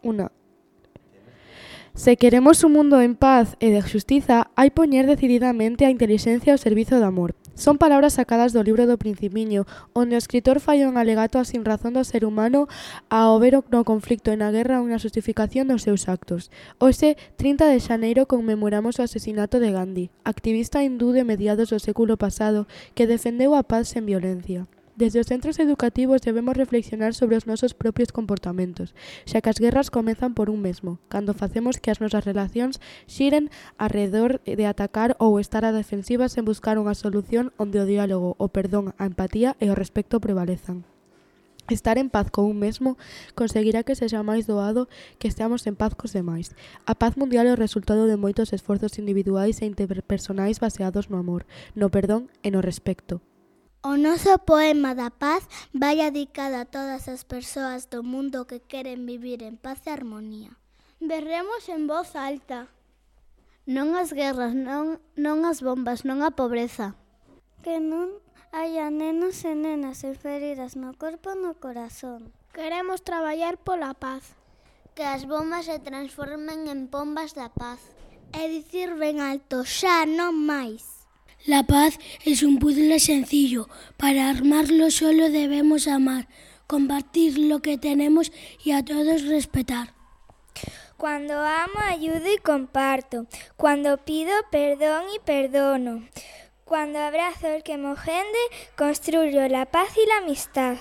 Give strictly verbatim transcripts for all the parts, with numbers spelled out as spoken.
Una. Se queremos un mundo en paz e de xustiza, hai poñer decididamente a intelixencia ao servizo do amor. Son palabras sacadas do libro do Principiño, onde o escritor fai un alegato á sinrazón do ser humano ao ver no conflicto e na guerra unha justificación dos seus actos. Hoxe, trinta de xaneiro, conmemoramos o asesinato de Gandhi, activista hindú de mediados do século pasado que defendeu a paz sen violencia. Desde os centros educativos debemos reflexionar sobre os nosos propios comportamentos, xa que as guerras comezan por un mesmo, cando facemos que as nosas relacións xiren arredor de atacar ou estar a defensiva sen buscar unha solución onde o diálogo, o perdón, a empatía e o respecto prevalezan. Estar en paz con un mesmo conseguirá que sexa máis doado que esteamos en paz cos demais. A paz mundial é o resultado de moitos esforzos individuais e interpersonais baseados no amor, no perdón e no respecto. O noso poema da paz vai dedicado a todas as persoas do mundo que queren vivir en paz e armonía. Berremos en voz alta. Non as guerras, non, non as bombas, non a pobreza. Que non haya nenos e nenas feridas no corpo e no corazón. Queremos traballar pola paz. Que as bombas se transformen en pombas da paz. E dicir ben alto, xa non máis. La paz es un puzzle sencillo. Para armarlo solo debemos amar, compartir lo que tenemos y a todos respetar. Cuando amo, ayudo y comparto. Cuando pido, perdón y perdono. Cuando abrazo el que me ofende, construyo la paz y la amistad.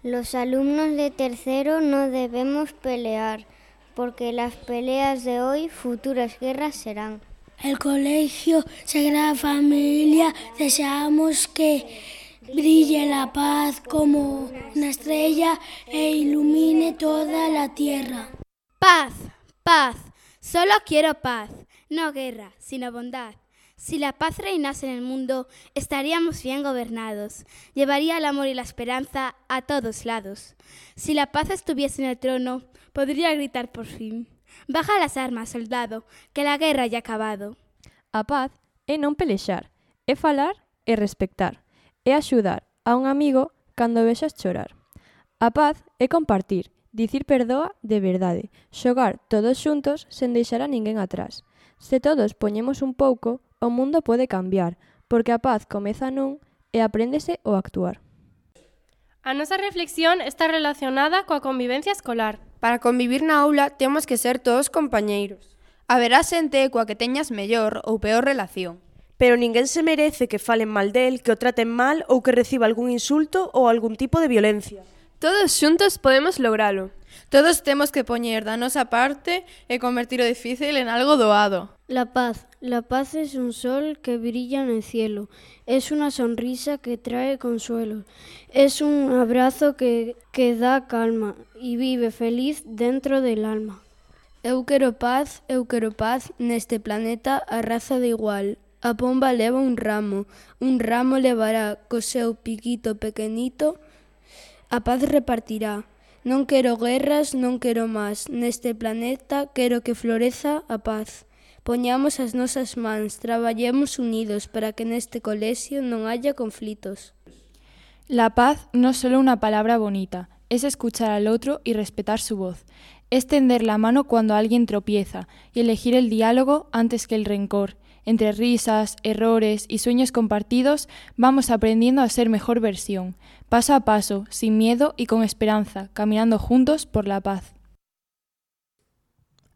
Los alumnos de tercero no debemos pelear, porque las peleas de hoy futuras guerras serán. El Colegio Sagrada Familia deseamos que brille la paz como una estrella e ilumine toda la tierra. Paz, paz, solo quiero paz, no guerra, sino bondad. Si la paz reinase en el mundo, estaríamos bien gobernados. Llevaría el amor y la esperanza a todos lados. Si la paz estuviese en el trono, podría gritar por fin: baja las armas, soldado, que la guerra ya ha acabado. A paz é non pelexar, é falar e respectar, é axudar a un amigo cando vexas chorar. A paz é compartir, dicir perdoa de verdade, xogar todos xuntos sen deixar a ninguén atrás. Se todos poñemos un pouco, o mundo pode cambiar, porque a paz comeza nun e apréndese o actuar. A nosa reflexión está relacionada coa convivencia escolar. Para convivir na aula temos que ser todos compañeiros. Haberá xente coa que teñas mellor ou peor relación. Pero ninguén se merece que falen mal del, que o traten mal ou que reciba algún insulto ou algún tipo de violencia. Todos xuntos podemos logralo. Todos temos que poñer da nosa parte e convertir o difícil en algo doado. La paz. La paz es un sol que brilla en el cielo. Es una sonrisa que trae consuelo. Es un abrazo que, que da calma y vive feliz dentro del alma. Eu quero paz, eu quero paz neste planeta a raza de igual. A pomba leva un ramo, un ramo levará co seu piquito pequenito, a paz repartirá. Non quero guerras, non quero máis, neste planeta quero que floreza a paz. Poñamos as nosas mans, traballemos unidos para que neste colexio non haya conflitos. La paz no es solo una palabra bonita, es escuchar al otro y respetar su voz. Es tender la mano cuando alguien tropieza y elegir el diálogo antes que el rencor. Entre risas, errores y sueños compartidos vamos aprendiendo a ser mejor versión, paso a paso, sin miedo y con esperanza, caminando juntos por la paz.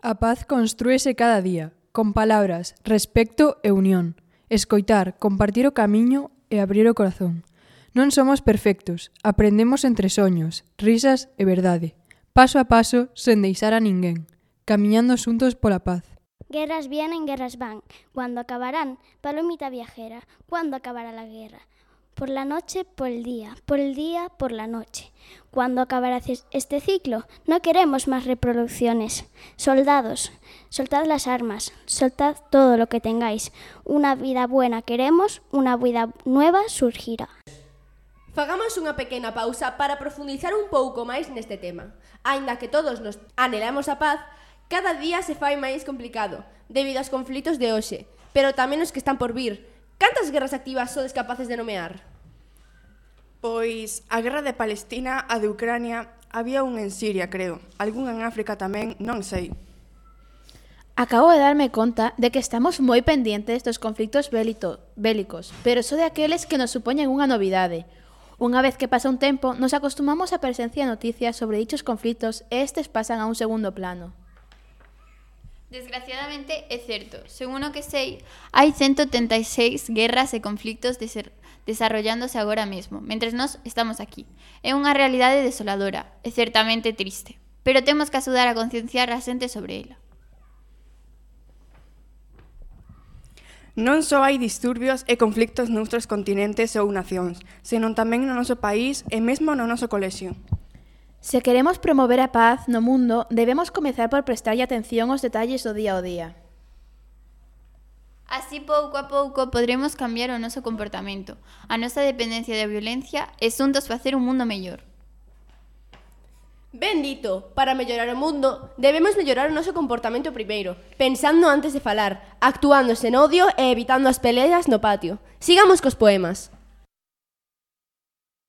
A paz construíse cada día, con palabras, respecto e unión. Escoitar, compartir o camiño e abrir o corazón. Non somos perfectos, aprendemos entre soños, risas e verdade. Paso a paso, sen deixar a ninguén, camiñando xuntos pola paz. Guerras vienen, guerras van. ¿Cuándo acabarán? Palomita viajera. ¿Cuándo acabará la guerra? Por la noche, por el día. Por el día, por la noche. ¿Cuándo acabará este ciclo? No queremos más reproducciones. Soldados, soltad las armas. Soltad todo lo que tengáis. Una vida buena queremos, una vida nueva surgirá. Fagamos unha pequena pausa para profundizar un pouco máis neste tema. Aínda que todos nos anhelamos a paz, cada día se fai máis complicado, debido aos conflitos de hoxe, pero tamén os que están por vir. Cantas guerras activas sodes capaces de nomear? Pois a guerra de Palestina, a de Ucrania, Había un en Siria, creo. Algún en África tamén, non sei. Acabo de darme conta de que estamos moi pendentes dos conflictos bélito, bélicos, pero só de aqueles que nos supoñen unha novidade. Unha vez que pasa un tempo, nos acostumamos a presenciar noticias sobre dichos conflictos e estes pasan a un segundo plano. Desgraciadamente é certo. Según o que sei, hai ciento setenta e seis guerras e conflictos de desarrollándose agora mesmo, mentres nós estamos aquí. É unha realidade desoladora, é certamente triste, pero temos que axudar a concienciar a xente sobre ela. Non só hai disturbios e conflictos noutros continentes ou nacións, senón tamén no noso país e mesmo no noso colexio. Se queremos promover a paz no mundo, debemos comezar por prestarlle atención aos detalles do día ao día. Así, pouco a pouco, podremos cambiar o noso comportamento. A nosa dependencia da violencia é xuntos facer un mundo mellor. Ben dito, para mellorar o mundo, debemos mellorar o noso comportamento primeiro, pensando antes de falar, actuando sen odio e evitando as peleas no patio. Sigamos cos poemas.